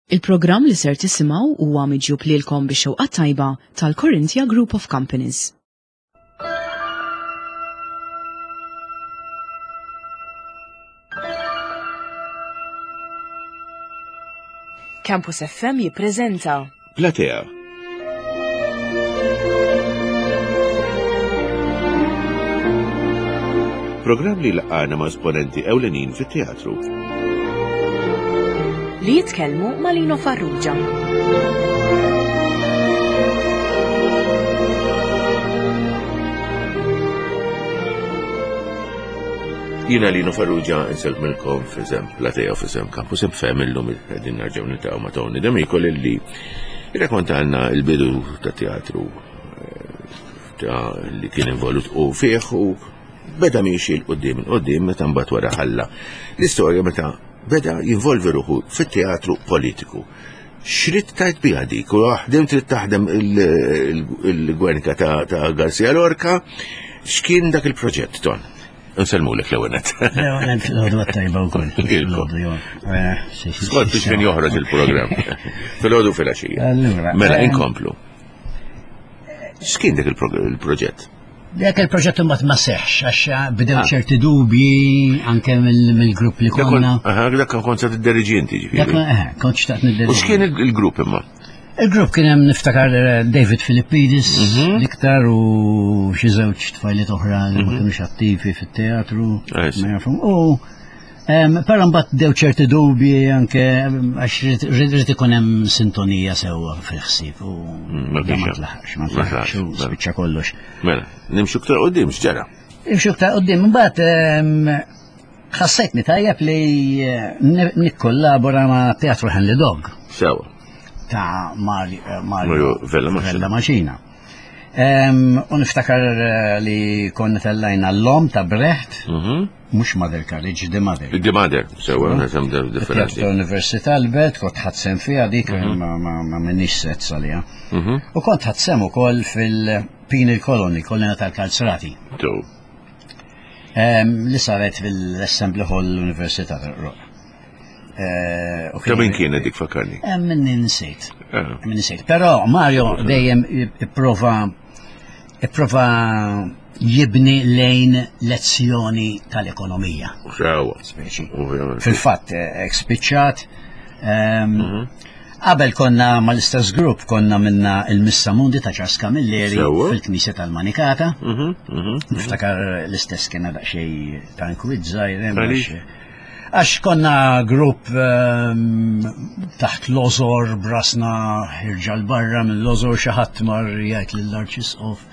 Il-programm li ser tisimgħu huwa miġjub lilkom bix-xewqa tajba tal-Corinthia Group of Companies. Campus FM jippreżenta Platea. Programm li laqgħana ma' esponenti ewlenin fit-teatru. Li jitkellmu ma' Lino Farrugia. Jina Lino Farrugia nsellmilkom f'isem Platea u f'isem Campus FM illum qegħdin nerġgħu niltaqgħu ma' Tony D'Amico li rrakkontalna l-bidu ta' teatru eh, ta' li kien involut u fih u beda miexi l-qoddim il-qoddim meta mbagħad wara ħalla l-istorja meta beda jinvolvi ruħu fit-teatru politiku. Xrid tajt biha dik u ħdim trid taħdem il-Gwernika ta' Garcia Lorca, x'kien dak il-proġett ton? Nsellmulek l-ewwel nett. L-ewwel nett l-għodwa tajba wkoll. Eh, Skont biex min joħroġ il-programm. Fil-għodu fil-għaxija. Mela eh, inkomplu. X'kien dak il-proġett? Dak il-proġett imbagħad ma seħx għax eh, bdew ah. ċerti dubji anke mill-grupp li konna. Dak kont se tidderiġi inti ġifieri. Dak kont xtaqt nidderieġi. U x'kien il-grupp imma? Il-grupp kien hemm niftakar eh, David Filippidis mhm. l-iktar u xi żewġ tfajliet oħra li ma mhm. kinux attivi fit-teatru. Ma jafhom. U però mbagħad dew ċerti dubji anke għax rid ikun hemm sintonija sewwa fil-ħsieb u mm, ma tlaħaqx, ma tlaħaqx u spiċċa kollox. Mela, nimxu ktar qudiem x'ġara? Nimxu ktar qudiem imbagħad Ħassejtni tajjeb li eh, nikkollabora ma' Teatru Henry Dog. Sewa. Ta' eh, Mario Vella Maċina. U niftakar eh, li konna tellajna l-lom ta' Brecht, mhm. mux Mother College, The Mother. The Mother, sewa, nesem differenti. Ta' Università l-Belt, kont ħadsem fija dik mhm. ma minnix set salija. Mhm. U kont ħadsem ukoll fil-Penal Colony, kolonja tal-Kalzrati. Li saret fil-Assembly Hall l-Università tal-Qroq. Eh, Ta' min kienet dik fakarni? Eh, min insejt. Eh. Min insejt. Però Mario dejjem ipprova ipprova jibni lejn lezzjoni tal-ekonomija. Sewa. Fil-fatt, spiċċat. Ehm, mhm. Qabel konna mal-istess grupp konna minna il-Missa Mundi ta' Charles Camilleri fil-Knisja tal-Manikata. Mhm, mhm, mhm. Niftakar l-istess kien daqsxejn ta' inkwiet żgħir Għax konna grupp ehm, taħt l-ozor brasna ħirġa l-barra minn l-ozor xi ħadd mar jgħid lill-Arċisqof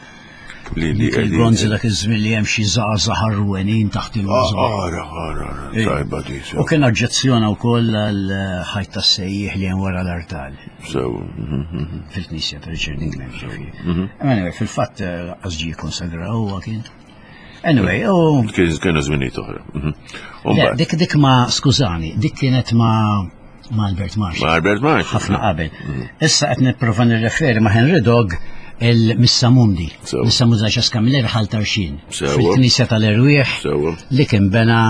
Il-bronzi dak iż-żmien li hemm xi żgħażagħ ħarwenin taħt il-ħożor. Ah, ara, ara, ara, tajba di. U kien oġġezzjona wkoll għal ħajt tas-sejjieħ li hemm wara l-artal. Sew. Mhm, mhm. Fil-knisja ta' Richard England, ġifieri. Mhm. Anyway, fil-fatt eh, laqqas ġie konsagra huwa kien. Anyway, u. Kienu żminijiet oħra. Dik dik ma, skużani, dik kienet ma' ma' Albert Marx. Ma' Albert Marx. Ħafna qabel. Mm. Issa qed nipprova nirreferi ma' Henry Dog il-Missa Mundi. Missa Mundi ta' Camilleri ħal tarxin. Fil-Knisja tal-Erwieħ li kien bena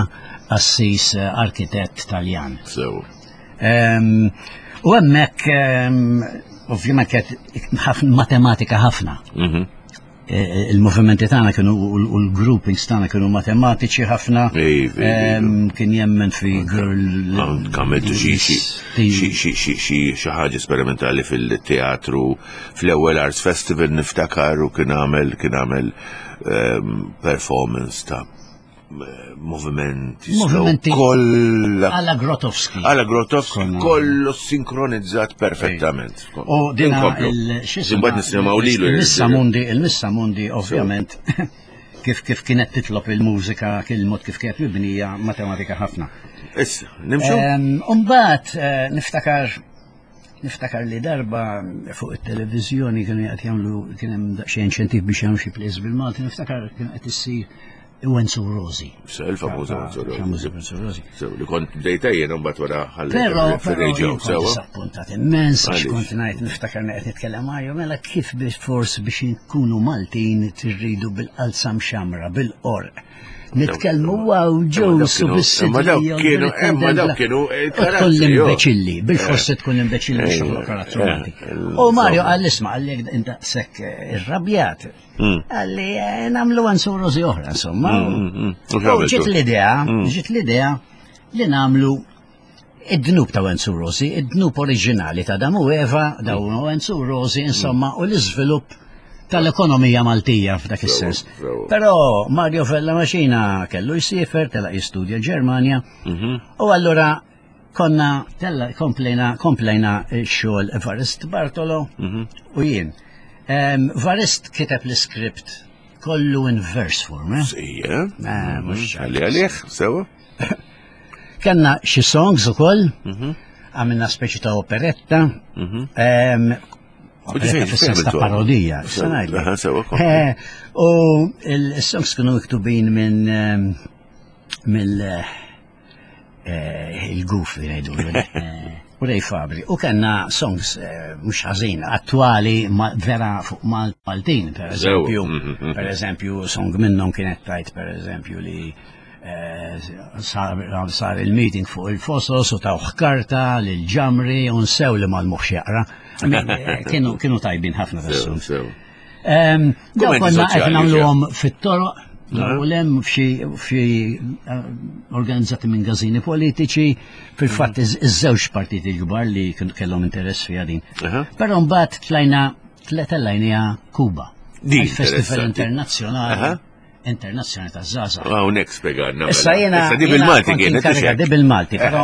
assis eh, arkitett Taljan. Ehm, u hemmhekk ehm, ovvjament kienet matematika ħafna. Mhm. Eh, il-movimenti tagħna kienu u l-groupings tagħna kienu matematiċi ħafna. Kien jemmen fi girl. Għamiltu xi xi ħaġa sperimentali fil-teatru fl-ewwel Arts Festival niftakar u kien għamel kien għamel performance ta' movimenti. Movimenti. Kolla. Alla Grotowski. Alla Grotowski, kollu sinkronizzat perfettament. U dina il-xisma. nisimaw lilu. Il-Missa Mundi, il-Missa Mundi, ovvjament, kif kif kienet titlob il-mużika, il-mod kif kienet mibnija, matematika ħafna. Issa, nimxu? Umbat, eh, niftakar Niftakar li darba fuq it-televiżjoni kienu qed jagħmlu kien hemm daqsxejn inċentiv biex jagħmlu xi plays bil-Malti, niftakar kien qed issir Wenzu Rosi. Se il-famuża Wenzu Rosi. Famuża Wenzu Rosi. Sew li kont bdejta jien mbagħad wara ħalli. Però però disappuntat immens għax kont ngħid niftakar qed nitkellem Mario mela kif biex forsi biex inkunu Maltin tirridu bil-qalzam xamra, bil-qorq. Nitkellmu wow ġews u bis-sidri. Ma dawk kienu, imma dawk kienu Tkun l-imbeċilli, bil-forsi tkun l-imbeċilli biex toħloq karattru Malti. U Mario qal isma' qalli indaqshekk irrabjat. Qalli nagħmlu Enzo Rosi oħra, insomma. U ġiet l-idea, ġiet l-idea li nagħmlu id-dnub ta' Wenzu Rosi, id-dnub oriġinali ta' Adam u Eva, dawn u Wenzu Rosi, insomma, u l-iżvilupp tal-ekonomija Maltija f'dak is-sens. Però Mario Vella Maxina kellu jsifer, telaq jistudja l-Ġermanja, u allura konna tella komplejna komplejna x-xogħol Evarist Bartolo u jien. Varist kiteb l-iskript kollu in verse form, eh? Sija. Eh, mhux Għalli għalih, sewa. Kenna xi songs ukoll, mhm. għamilna speċi ta' operetta. Mhm. Operetta fis-sens ta' parodija, eh, U il-songs kienu miktubin minn mill eh, il-guf li ngħidu. Eh, u Ray Fabri. U kellna songs mhux ħażin attwali vera fuq Maltin, per eżempju. Mhm, per eżempju, song minnhom kienet tajt per eżempju li Eh, sar il-meeting fuq il-fosos u tawh karta lil ġamri u nsew li mal-moħx jaqra. Eh, kienu tajbin ħafna tas-songs. Daw konna qed nagħmluhom fit-toroq, u lem f'xi eh, organizzati minn gażini politiċi, fil-fatt mhm. iż-żewġ partiti l-kbar li kellhom interess fiha din. Però mbagħad tlajna tlajnija Kuba. Il-Festival Internazzjonali. Internazzjonali ta' Zaza. Hawnhekk spjegalna. Issa mela. jiena. Issa di bil-Malti kienet. Di bil-Malti, però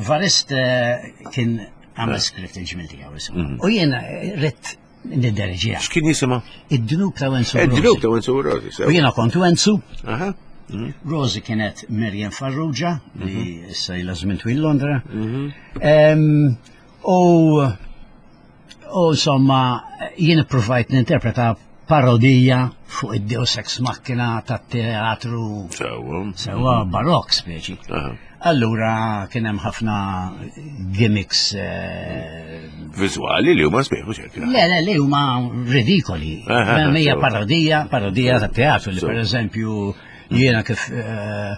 Varist eh, kien għamel eh. skritt il-ġmil tiegħu insomma. Mhm. U jiena eh, ritt nidderġija. X'kien jisimha? Id-dnub ta' Wenzu Rosi. Id-dnub ta' Wenzu Rosi. U jiena kont Wenzu. Mhm. Rosi kienet Miriam Farrugia li mhm. issa ilha żmien twil Londra. U U insomma, jien ippruvajt ninterpreta parodija fuq id-Deus Ex Machina tat-teatru. Sewwa. Sewwa barokk speċi. Allura kien hemm ħafna gimmicks eh, viżwali li huma sbieħ mhux hekk. Le, le, li huma ridikoli. Hija parodija, parodija tat-teatru li pereżempju jiena kif eh,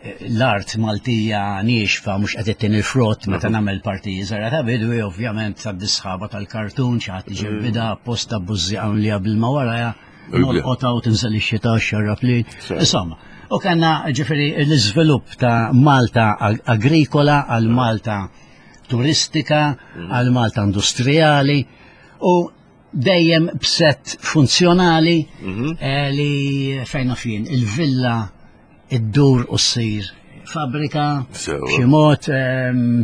l-art Maltija niexfa mhux qed ittin il-frott meta mhm. nagħmel partiji żara ta' bidwi, ovvjament tad-disħaba tal-kartun xi ħadd iġebbida mhm. apposta bużżieqa mlija bil-ma warajha, nolqotha u tinżel ix-xita xarrab li. Insomma, u kellna ġifieri l-iżvilupp ta' Malta agrikola għal Malta turistika, mhm. għal Malta industrijali u dejjem b'sett funzjonali eh, li fejn naf jien il-villa iddur u ssir fabbrika b'xi mod ehm,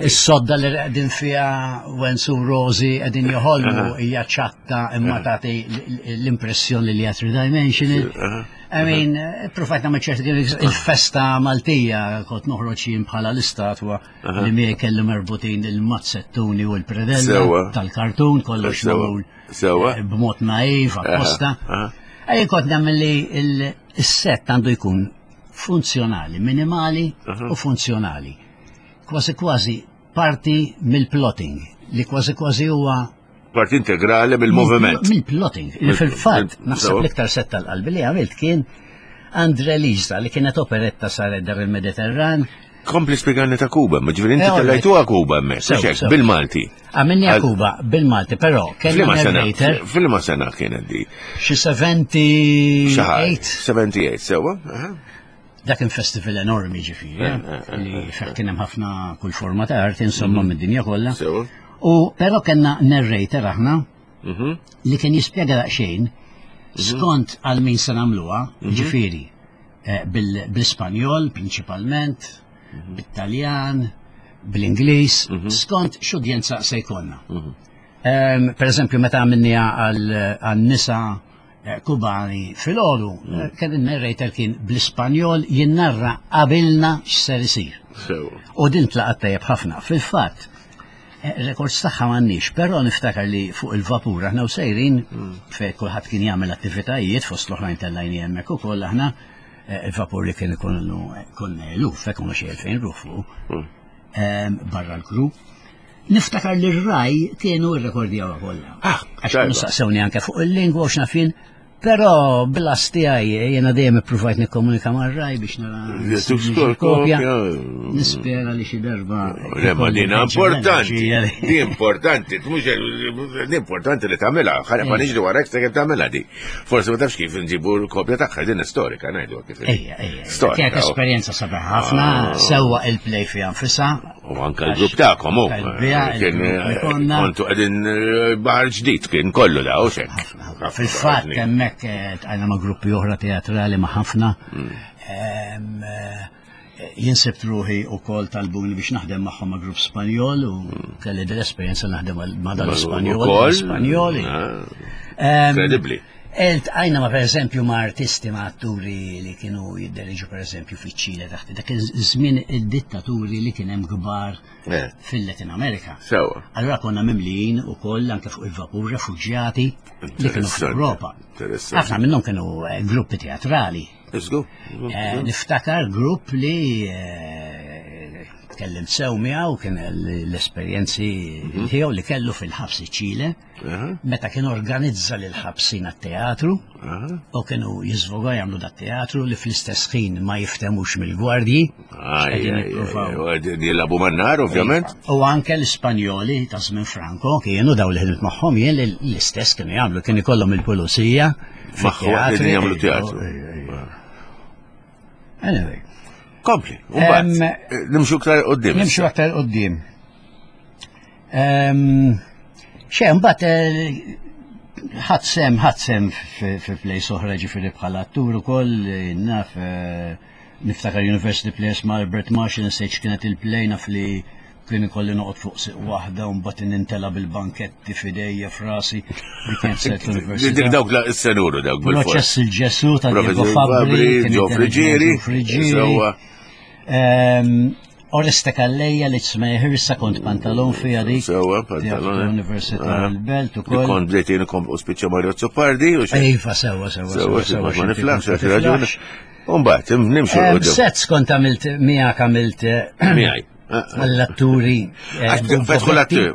is-sodda li qegħdin fiha Wenzu Rosi qegħdin joħolmu hija ċatta imma tagħti l-impressjoni li hija three dimensional. I mean, provajt nagħmel ċerti il-festa Maltija kont noħroġ jien bħala l-istatwa li miegħi kellu merbutin il-mazzettuni u l-predella tal-kartun kollox magħmul eh, b'mod naiv apposta. Ejja kont nagħmel li Is-sett għandu jkun funzjonali, minimali u funzjonali. Kważi kważi parti mill-plotting, li kważi kważi huwa parti integrali mill-moviment. Mill-plotting. Li fil-fatt, naħseb l-iktar sett tal-qalbi li għamilt kien Andre Lisa li kienet operetta saret dar il-Mediterran. Kompli spiegarni ta' Kuba, ma ġifieri inti eh, tellajtuha Kuba hemmhekk, bil-Malti. Għamilni Kuba bil-Malti, però kellna narrator. Fil-ma sena kienet di? Xi 78. 78, sewa. Dak kien festival enormi ġifieri, eh, eh, eh, li fih kien hemm ħafna kull forma ta' arti insomma mhm. mid-dinja kollha. U però kellna narrator aħna mhm. li kien jispjega daqsxejn mhm. skont għal min se nagħmluha, ġifieri bil-Ispanjol prinċipalment, bit-Taljan, bl-Ingliż, mhm. skont x'udjenza se jkollna. Mhm. Ehm, per eżempju, meta għamilniha għal-nisa eh, Kubani fil-ħodu, mhm. eh, kien il-narrator kien bl-Ispanjol jinnarra qabilna x'ser isir. U din tlaqat tajjeb ħafna. Fil-fatt, eh, rekords tagħha m'għandniex, però niftakar li fuq il-vapur aħna u sejrin fejn kulħadd kien jagħmel attivitajiet fost l-oħrajn tellajni hemmhekk ukoll aħna Eh, il-vapur li kien ikun konna eluf, hekk kienu xi 2000 ruħ fuq, hmm. ehm, barra l-kru. Niftakar li r-raj kienu rrekordjaw kollha. Ah, Għax kienu saqsewni anke fuq il-lingwa u xnafin, Però bl-as tiegħi jiena dejjem ippruvajt nikkomunika mar-raj biex nara kopja. Nispera li xi darba. Le ma din importanti. Di importanti, mhux di importanti li tagħmilha, ħa ma niġri warek se kemm tagħmilha di. Forsi ma tafx kif nġibu l-kopja tagħha din storika ngħidu kif. Ejja, ejja. Storika. Kienet esperjenza sabiħ ħafna, ah. sewwa il-play fiha nfisha. U anka l-grupp tagħkom hu. Kien eh, kontu qegħdin eh, baħar ġdid kien kollu da u xek. Fil-fatt hemmhekk eh, tqajna ma' gruppi oħra teatrali ma' ħafna. Mm. Eh, jien sibt ruħi wkoll talbuni biex naħdem magħhom ma' grupp Spanjol u mm. kelli dell-esperjenza naħdem ma' dal-Spanjol. Spanjoli. Ah. Incredibbli. Iltqajna ma' pereżempju ma' artisti ma' atturi li kienu jidderiġu pereżempju fiċ-Ċile taħt dak iż-żmien id-dittaturi li kien hemm kbar eh. fil-Latin America. Sewa. Allura konna mimlijin ukoll anke fuq il-vapur refuġjati li kienu fl-Ewropa. Ħafna minnhom kienu eh, gruppi teatrali. Eh, niftakar grupp li tkellimt sew miegħu kien l-esperjenzi mhm. tiegħu li kellu fil-ħabs iċ-Ċile. Meta kien organizza lil ħabsin għat-teatru u kienu jiżvogaw jagħmlu dat teatru li fl-istess ħin ma jiftemux mill-gwardji. Jilabu man-nar, ovvjament. U anke l-Ispanjoli ta' żmien Franco kienu daw li ħdimt magħhom jien l-istess kienu jagħmlu kien ikollhom il-pulizija. Magħhom jagħmlu teatru. Anyway. Kompli, nimxu aktar qoddim. Nimxu aktar qoddim. Xe, mbagħad eh, ħadd sem, ħadd sem fi plejs oħra ġifieri bħala attur ukoll, eh, naf eh, niftakar University Players ma' Albert Marshall nsejt kienet il-play naf li kien ikolli noqgħod fuq siq waħda u mbagħad nintela bil-banketti f'idejja f'rasi li kienet set l-università. Dik dawk la s-senuru dawk bil Proċess il-Ġesu ta' Diego Fabri, Ġo Friġieri, Oreste Calleja li tsmej ħirsa kont pantalon fija dik. Sewa, pantalon. Eh. Università ah. l-Belt ukoll. Kont bdejt jien u spiċċa Mario Zoppardi. Iva, sewa, sewa. Sewa, sewa, ma niflaħx, għax raġuni. Umbagħad, nimxu. Sets kont għamilt miegħek għamilt. Eh, Miegħi. L-atturi. Eh, fetħu l-atturi,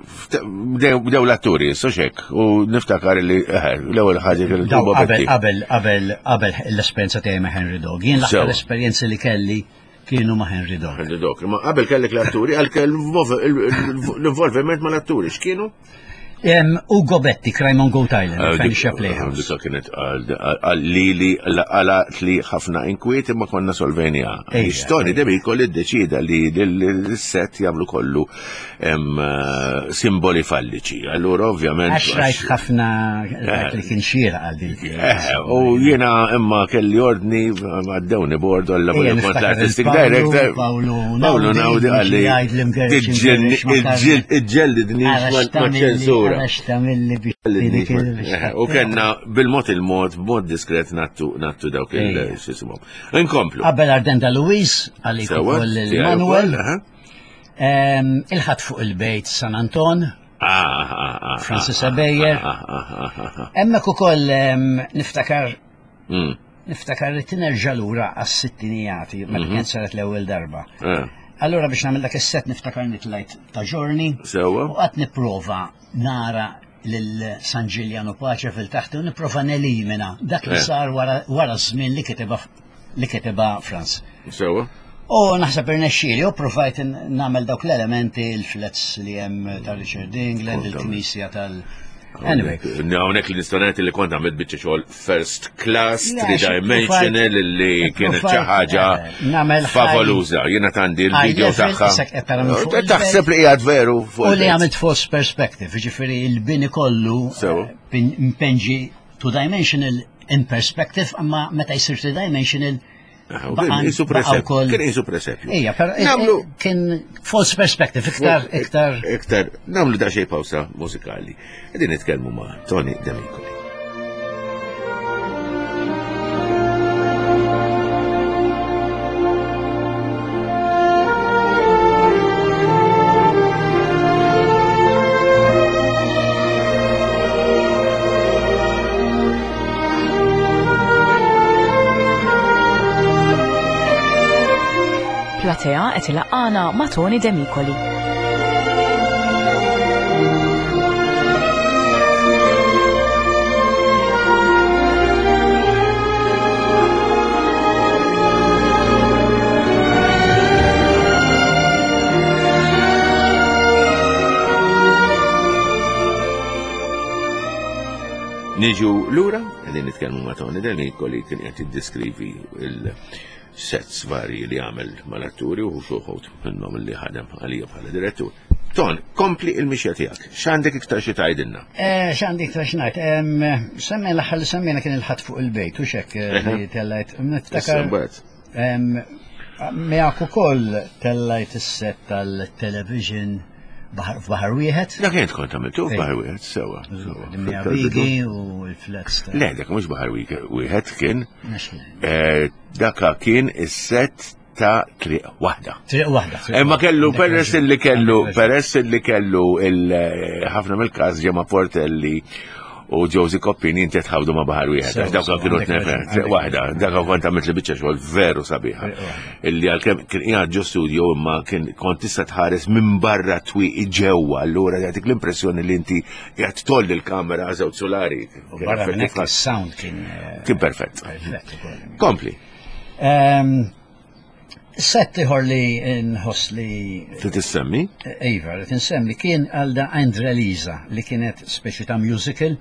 bdew l-atturi, soxek, u niftakar li l-ewwel ħaġa kellu Qabel, qabel, qabel, qabel l-esperjenza tiegħi ma' Henry Dog. Jien l-aħħar esperjenzi li kelli kienu ma' Henry Dog. Henry Dog. Ma qabel kellek l-atturi, għal l-involviment ma' l-atturi, x'kienu? Ugo Betti, Crime on Goat Island, eh, Fenicia Playhouse. Dika kienet għalli li għalat li ħafna inkwiet imma konna solvenja. Tony Demico li ddeċida li l-set jagħmlu kollu eh, simboli falliċi. Allura ovvjament. Għax rajt ħafna eh. li kien xira għal din. Eh, u jiena imma kelli ordni għaddewni bord għalla kont l-artistic director. Paolo Naudi għalli. Iġġellidni ma ċensura. U kellna bil-mod il-mod, b'mod diskret nattu dawk il-sisimhom. Inkomplu. Qabel Ardenta Luis, għalik ukoll il-Manuel. Il-ħadd fuq il-bejt San Anton. Ah, ah, ah, Francis Abejer. Hemmhekk ukoll niftakar hmm. niftakar li tinerġa' lura għas-sittinijati meta mhm. kienet saret l-ewwel darba. Eh. Allura biex nagħmel dak is-set niftakar nitlajt ta' ġorni. Sewa. U qatt nipprova nara lil San Ġiljan u Pace fil-taħt u nipprova nelimina dak li eh. sar wara żmien li kiteba li kitibha Franz. Sewa. U naħseb irnexxieli u provajt nagħmel dawk l-elementi l-flats li hemm ta' Richard England, il-knisja tal- Anyway. Hawnhekk li nista' ngħid li kont għamilt biċċa xogħol first class, three dimensional li kienet xi ħaġa eh, favoluża. Jiena tandi l-video tagħha. Eh, taħseb li qiegħed veru fuq. U li għamilt false perspective, jiġifieri il-bini kollu eh, mpenġi two dimensional in perspective, imma meta jsir three dimensional Kien presepju. Kien isu presepju. Ija, pero eh, kien false perspective, iktar, iktar. Iktar, namlu da xej pawsa mużikali. Qegħdin nitkellmu ma' Tony Demicoli. Platea qed ilaqqana ma' Tony Demicoli. Niġu lura, qegħdin nitkellmu ma' Tony Denicoli kien qed jiddeskrivi il-sets varji li għamel mal-atturi u xuħut minnhom li ħadem għalija bħala direttur. Ton, kompli il-mixja tiegħek. X'għandek iktar xi tgħidilna? Eh, x'għandi iktar x'ngħid? Semmi l-aħħar li semmejna kien il-ħadd fuq il-bejt u xek eh, li tellajt. Niftakar. Miegħek ukoll tellajt is-set tal-television f'baħar wieħed. Dak kien kont għamiltu f'baħar wieħed sewa. Bigi u l-flats. Le, dak mhux baħar wieħed kien. Eh, daka kien is-set ta' triq waħda. Triq waħda. Imma kellu peress li kellu peress li kellu eh, ħafna mill-każ ġemma Portelli u Josie Koppini inti tħawdu ma' baħar wieħed, għax dawk kienu tnefer, triq waħda, dak kont għamilt li biċċa xogħol veru sabiħa. Illi għalkemm kien qiegħed ġo studio imma kien kont tista' tħares minn barra twieqi ġewwa, allura jagħtik l-impressjoni li inti qiegħed tolli l-kamera żewġ solari. Barra minn hekk is-sound kien eh, kien perfett. Kompli. Ehm, Set ieħor li nħoss li. Trid issemmi? Iva, li tinsemmi kien għal da Andre Lisa li kienet speċi ta' musical.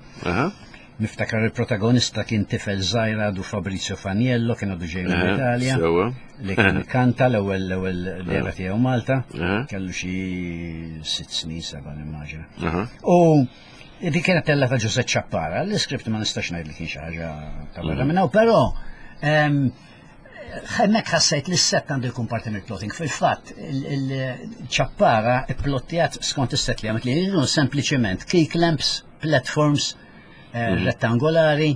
Niftakar il-protagonista kien tifel żgħir għadu Fabrizio Faniello kien għadu ġej mill-Italja. Li kien kanta l-ewwel l-ewwel dera tiegħu Malta. Kellu xi sitt snin seba' nimmaġina. U dik kienet tella ta' Giuseppe Ciappara, l-iskript ma nistax ngħid li kien xi ħaġa ta' barra minn hawn, però Hemmhekk ħassejt li s-set għandu jkun parti mill-plotting. Fil-fatt, il-ċappara pplottjat skont is-set li għamilt li jridu sempliċement key clamps, platforms eh, mhm. rettangolari,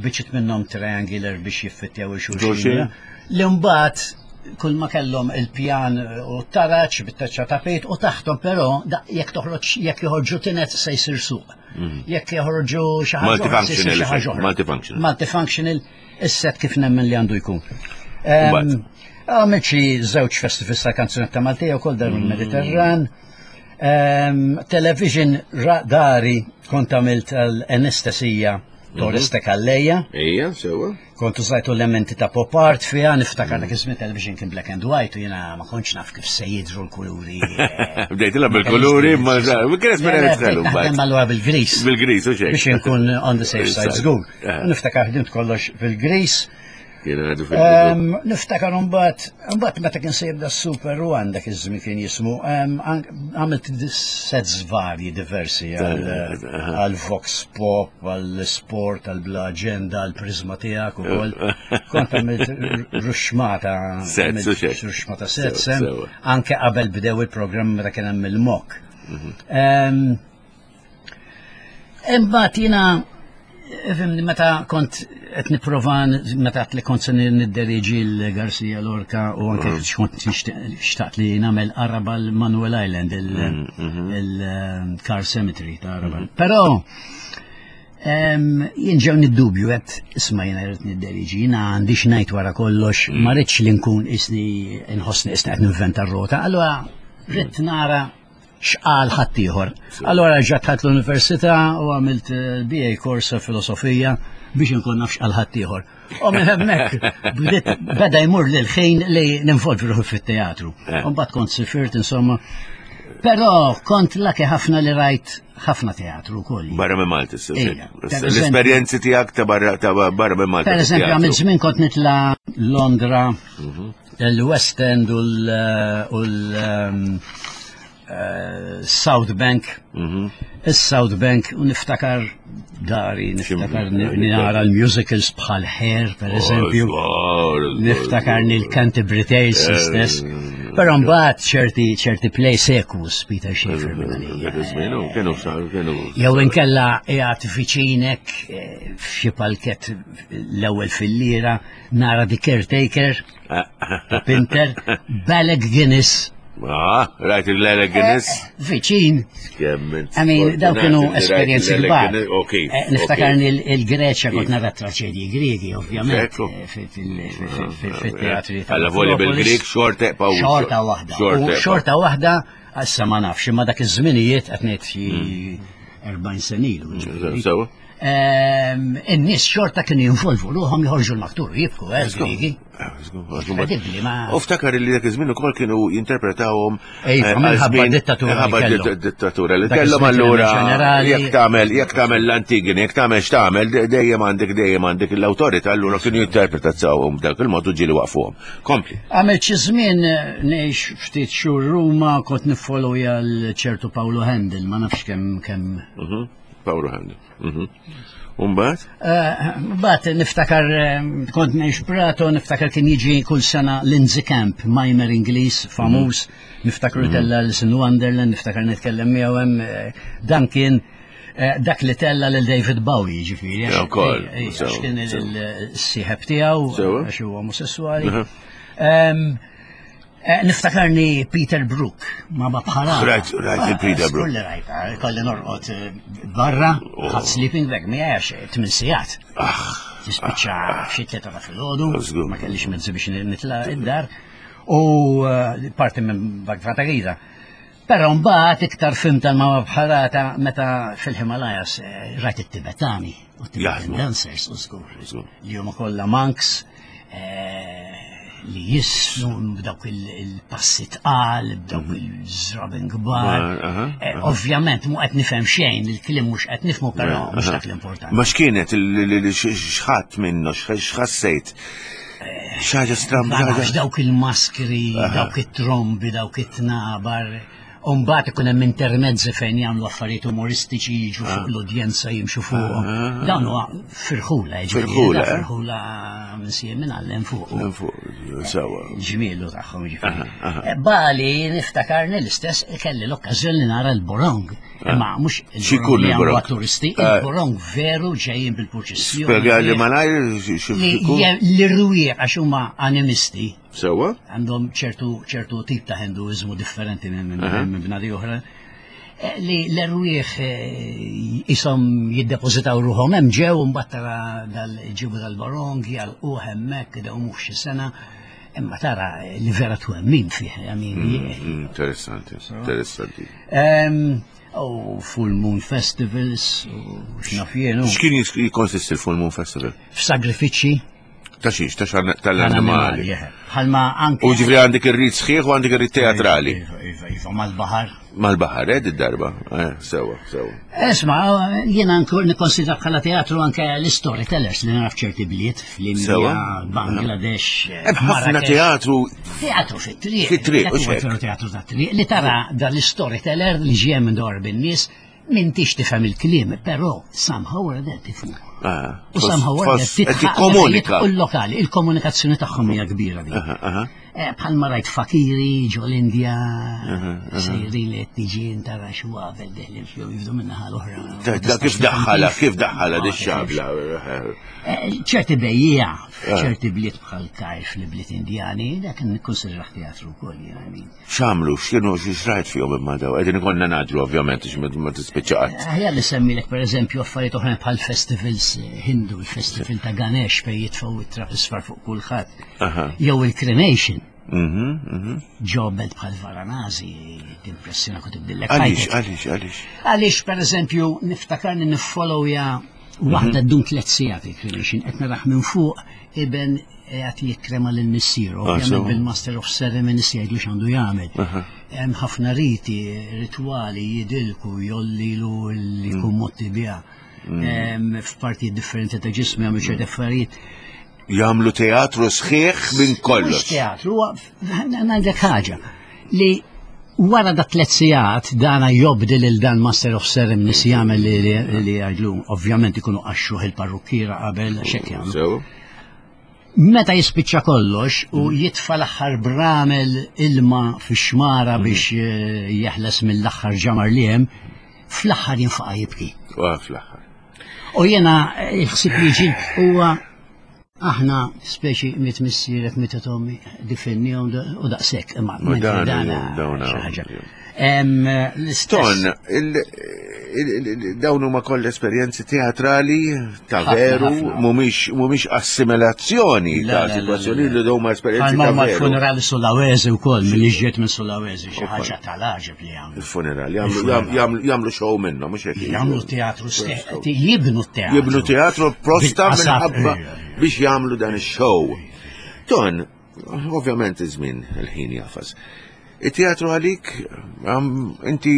biċċiet minnhom triangular biex jiffittjaw il-xulxin. Li mbagħad kull ma kellhom il-pjan u t-taraċ bit-taċċa tapit u taħtom però jekk toħroġ jekk joħorġu tinet se jsir suq. Mhm. Jekk joħorġu xi ħaġa Multifunctional. Multifunctional. Multifunctional Is-set kif nemmen li għandu jkun. Għamilt xi żewġ festivals ta' kanzunetta Maltija wkoll dar il-Mediterran. Television dari kont għamilt l-anestesija Torres ta' Kalleja. Ejja, sewa. Kont użajtu elementi ta' pop art fiha, niftakar dak iż-żmien television kien black and white u jiena ma kontx naf kif se jidhru l-kuluri. Eh, Bdejtilha bil-kuluri, ma kien esperjenza Naħdem allura bil-gris. Bil-gris, u xejn. Biex inkun on the safe side żgur. Eh. Niftakar ħdimt kollox fil-Gris. Niftakar mbagħad, mbagħad meta kien se jibda Super One dak iż-żmien kien jismu, għamilt sets varji diversi għal Vox Pop, għal Sport, għal Bla Agenda, għal Prisma tiegħek ukoll. Kont għamilt ruxmata, ruxmata sets, anke qabel bdew il-programm meta kien hemm il-mok. Mhm. Imbagħad jiena fimni meta kont qed nipprova meta li kont se nidderiġi l-Garcia Lorca u anke mm. kont xtaqt li nagħmel Arabal Manuel Island mm-hmm. il-Car Cemetery ta' Arabal. Mm-hmm. Però jien ġew niddubju qed isma' jiena rrid nidderiġi, jiena għandi x'ngħid wara kollox, mm. ma rridx li nkun isni nħossni isni qed ninventa r-rota, allura rrid nara x'qal ħaddieħor. Allora ġa dħalt l-università u għamilt eh, BA course filosofija biex inkun naf x'qal ħaddieħor. U minn hemmhekk bdiet beda jmur lil ħin li ninvolvi ruħi fit-teatru. Eh. U mbagħad kont sifirt insomma. Però kont laki ħafna li rajt ħafna teatru wkoll. Barra minn Malta, l-esperjenzi tiegħek ta' barra ta' barra minn Malta. Per eżempju, għamilt żmien kont nitla' Londra, mhm. Il-West End u l-South ehm, eh, Bank. Mhm. Is-South Bank u niftakar dari, niftakar nara l-musicals bħal Hair, per oh, eżempju. Niftakar nil-Canterbury Tales eh, stess. Però mbagħad ċerti ċerti play sekus Peter Schaefer Jew inkella qiegħed viċinek eh, f'xi palket l-ewwel fil-lira nara The Caretaker ta' Pinter, Balek Guinness. Ah, rajt il-Balek Guinness? Eh, viċin. I mean, daw kienu esperienzi kbar. Eh, niftakar il-Greċja kont nara traċedji Griegi, ovvjament, eh, fil-teatri. Alla volja bil-Grieg xorta Xorta waħda. Xorta waħda, issa ma nafx, imma dak iż-żminijiet qed ngħid xi 40 senilu. Ehm, in-nies xorta kienu jinvolvu ruħhom joħorġu l-maktur jibku, eh, Grigi. Incredibbli, ma. U ftakar li dak iż-żmien ukoll kienu jinterpretawhom eh, minħabba dittatura. Minħabba dittatura li kellhom allura jekk tagħmel jekk tagħmel l-Antigini, jekk tagħmel x'tagħmel, dejjem għandek dejjem għandek l-awtorità allura kienu jinterpretawhom b'dak il-mod u ġieli waqfuhom. Kompli. Għamilt xi żmien eh, ngħix ftit xhur Ruma kont niffollowja l-ċertu Paolo Handel, ma nafx kemm kemm. Mhm. Paolo Handel. Mhm. Umbat? Eh, Bat niftakar eh, kont ngħix Prato, niftakar kien jiġi kull sena Lindsay Camp, mimer Ingliż famuż, mhm. niftakar mhm. tella l-Sin Wonderland, niftakar nitkellem miegħu hemm eh, dan kien dak li tella lil David Bowie, ġifieri. Għax kien il-sieħeb tiegħu, għax huwa omosessuali. Eh, niftakarni Peter Brook, ma ma bħala. Rajt, rajt il-Peter eh, Brook. Kulli rajt, eh, kolli norqod barra, oh. ħadd sleeping bag, mi għax tmin sigħat. Ah. Tispiċċa ah. xi tlieta ta' filgħodu, ma kellix mezzi biex nitla' id-dar. U parti minn Bagfatagira. Però mbagħad iktar fim tal-mama bħalata meta fil-Himalayas rajt it-Tibetani u Tibetan dancers u żgur. Li huma kollha monks li jisnu b'dawk il-passi tqal, b'dawk mhm. il-żrabin kbar. Eh, ovvjament mu qed nifhem xejn, il-kliem mhux qed nifhmu però mhux dak l-importanti. Ma x'kienet x'ħadd minnu, x'ħassejt? Eh, Xaġa stramba. Dawk il-maskri, dawk it-trombi, dawk it-tnabar. U mbagħad ikun hemm intermezzi fejn jagħmlu affarijiet umoristiċi jiġu fuq ah. l-udjenza jimxu fuqhom. Ah, ah, Dawn huwa firħula, jiġifieri, firħula, eh? firħula minn siem minn għallem fuq. Fuq, sewa. Ġmielu tagħhom jiġifieri. Eh, Bali niftakarni l-istess kelli l-okkażjoni nara l-borong. Imma mhux il-borong li jagħmlu turisti, eh. il-borong veru ġejjin bil-purċissjoni. Spjega li malajr xi L-irwieq għax huma animisti. Sewa? Għandhom ċertu ċertu tip ta' Hinduiżmu differenti minn minn bnadi oħra. Eh, li l-erwieħ jisom eh, jiddepożitaw ruħhom hemm ġew mbagħad tara dal-ġibu dal-barong jgħalquh hemmhekk idewmuh xi sena. Imma tara li vera twemmin fih. Mm, mm, interessanti, interessanti. U Full Moon Festivals, u x'naf jien. X'kien jikkonsisti l-Full Moon Festival? F'sagrifiċċji Ta' xiex, ta' xan tal-annimali. Bħalma anke. U ġifri għandek ir-rit sħiħ u għandek ir-rit teatrali. Iva, iva, iva, mal-bahar. Mal-bahar, eh, darba. Eh, sewa, sewa. Esma, jiena nikkonsidra bħala teatru anke l-storytellers li naf ċerti bliet fl-Indja, Bangladesh. Eh, hemm ħafna teatru. Teatru fit-triq. Fit-triq, u teatru ta' triq li tara dal-storyteller li ġie minn dor bin-nies M'intix tifhem il-kliem, però somehow or other tifhmu. Ah, u somehow or other tikkomunika. U l-lokali, il-komunikazzjoni tagħhom hija kbira din. Eh, bħalma rajt fakiri ġo l-Indja, sejrin li qed tiġi tara xwabel deħlin fihom jifdu minna l-oħra. Da kif daħħala, kif daħħala di xabla. Eh, ċerti bejjiegħa, eh. ċerti bliet bħal Kajf li bliet Indjani, dak nikkonsidrah teatru wkoll, jiena. X'għamlu, x'kienu, x'rajt fihom imma daw? Qegħdin ikollna naġlu ovvjament għax ma tispiċċa qatt. Aħjar li semmilek pereżempju affarijiet oħrajn bħal festivals Hindu, il-festival ta' Ganesh fejn jitfgħu it-trab isfar fuq kulħadd. Jew il-cremation. Mhm, mhm. Ġo belt bħal Varanasi, timpressjona kont tibdillek. Għaliex, għaliex, għaliex? Għaliex pereżempju niftakarni niffollowja waħda mhm. dum tliet sigħat il-cremation, qed naraħ minn fuq iben qiegħed jikkrema lil missieru, ah, ovvjament bil-Master of Ceremonies jgħidlu x'għandu jagħmel. Hemm ħafna riti, ritwali jidilku, jollilu li jkun mm. motti biha. Mm. F'partijiet differenti ta' ġismu jagħmlu ċerti mm. affarijiet. Jagħmlu teatru sħiħ minn kollox. Teatru, ngħidlek ħaġa li wara da tlet sigħat dana jobdi lil dan Master of Ceremonies jagħmel li jgħidlu, ovvjament ikunu qaxxuh il-parrukkiera qabel x'hekk jagħmlu. Meta jispiċċa kollox u mm. jitfa l-aħħar bramel ilma fix-xmara mm. biex eh, jeħles mill-aħħar ġamar li hemm, fl-aħħar jinfaqa' jibki. Fl-aħħar. U jiena eh, il-ħsieb li ġi huwa aħna speċi mit missierek mit tommi difennihom u daqshekk imma dan ħaġa. Ton, Dawn huma koll esperjenzi teatrali ta' veru, mhumiex assimilazzjoni ta' sitwazzjoni li dawn huma esperjenzi ta' veru. Il-funerali Sulawesi wkoll milli ġiet minn Sulawesi xi ħaġa tal-għaġeb li jagħmlu. Il-funerali jagħmlu show minnhom mhux hekk. Jagħmlu teatru jibnu teatru. Jibnu teatru prosta minħabba biex jagħmlu dan ix-show. Ton, ovvjament iż-żmien il-ħin jafas. It-teatru għalik, inti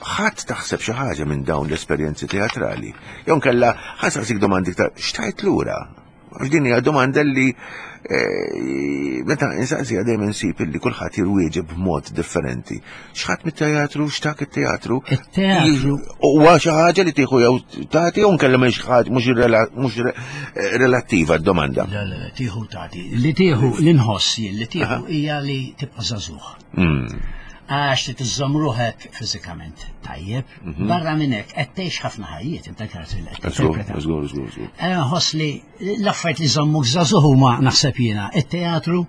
ħadd taħseb xi ħaġa minn dawn l-esperjenzi teatrali. Jew kella ħasaqsik domandi iktar, xtajt lura? Għax din hija domanda li eh, meta insaqsija dejjem insib illi kulħadd jirwieġeb b'mod differenti. X'ħadd mit-teatru, x'tak it-teatru? It-teatru. Huwa xi ħaġa li tieħu jew tagħti jew nkella mhix ħaġa mhux eh, relattiva d-domanda. Le, le, tieħu tagħti. Li tieħu li nħoss jien li tieħu hija li tibqa' żagħżugħ. Hmm. Għax li tiżżomm ruħek fiżikament tajjeb, mhm. barra minn hekk qed tgħix ħafna ħajjiet inta karattri li qed tinterpreta. Żgur, żgur, żgur. Eh, nħoss li l-affarijiet li żommuk żagħżugħ huma naħseb jiena it-teatru,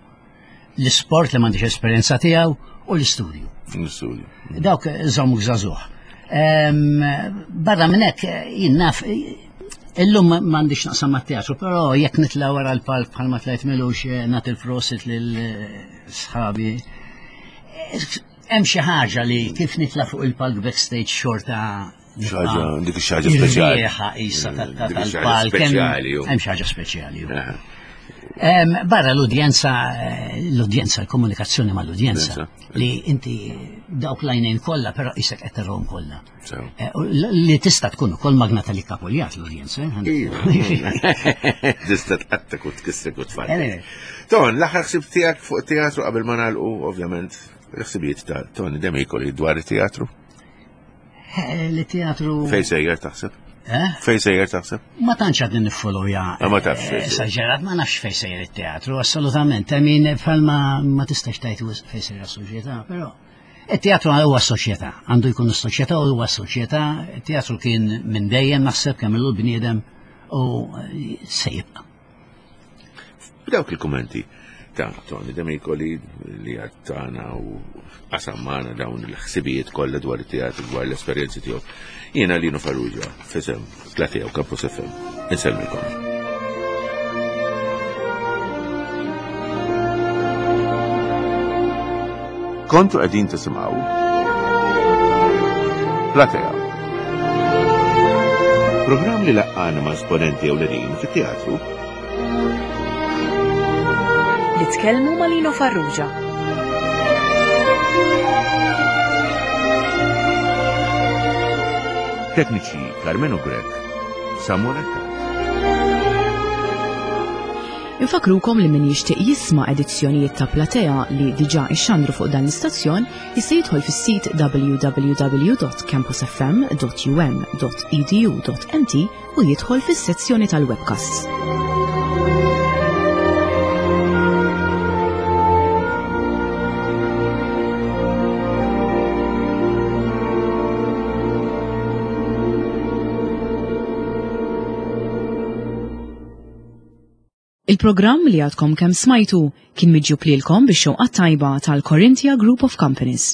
l-isport li m'għandix esperjenza tiegħu u l-istudju. L-istudju. Dawk żommuk żagħżugħ. Barra minn hekk jien naf Illum m'għandix naqsam mat-teatru, però jekk nitla' wara l-palk bħalma tlajt milux eh, nagħti l-prosit lil eh, sħabi. Hemm xi ħaġa li kif nitla' fuq il-palk backstage xorta ħaġa, dik xi ħaġa speċjali. Riħa qisha tal-palk. Hemm xi ħaġa speċjali. Barra l-udjenza, eh, l-udjenza, l-komunikazzjoni mal-udjenza, li inti dawk l-għajnejn kollha, però isek qed tarahom kollha. Eh, li tista' tkun ukoll magna tal-ikkapuljat l-udjenza. Eh, tista' tqattek u tkissek u tfal. Ton, l-aħħar ħsib tiegħek fuq teatru qabel ma nagħlqu ovvjament l-ħsibijiet ta' Tony Demikoli dwar it-teatru. Eh, li teatru. Fej sejjer taħseb? Eh? Fej sejjer taħseb? Ma tantx għadni niffollowja. Ah, ma tafx. Eh, esaġerat, ma nafx fej sejjer it-teatru, assolutament. I mean, bħalma ma tistax tajt fej sejjer is-soċjetà, però. Il-teatru huwa soċjetà, għandu jkun is-soċjetà u huwa soċjetà, il-teatru kien minn dejjem naħseb kemm ilu bniedem u se jibqa'. B'dawk il-kummenti ta' Tony Demicoli li għattana u qasam magħna dawn il-ħsibijiet kollha dwar it-teatru dwar l-esperjenzi tiegħu. Jiena Lino Farrugia, fisem Platea u Campus FM. Insellmilkom. Kontu qegħdin tisimgħu Platea. Programm li laqqana ma' esponenti ewlenin fit-teatru Li tkellmu ma' Lino Farrugia. Tekniċi Carmenu Grech, Samuel Attard. Infakrukom li min jixtieq jisma' edizzjonijiet ta' Platea li diġà ixxandru fuq dan l-istazzjon jista' jidħol fis-sit www.campusfm.um.edu.mt u jidħol fis-sezzjoni tal-webcasts. Il-programm li għadkom kemm smajtu kien miġjub lilkom bix-xewqa tajba tal-Corinthia Group of Companies.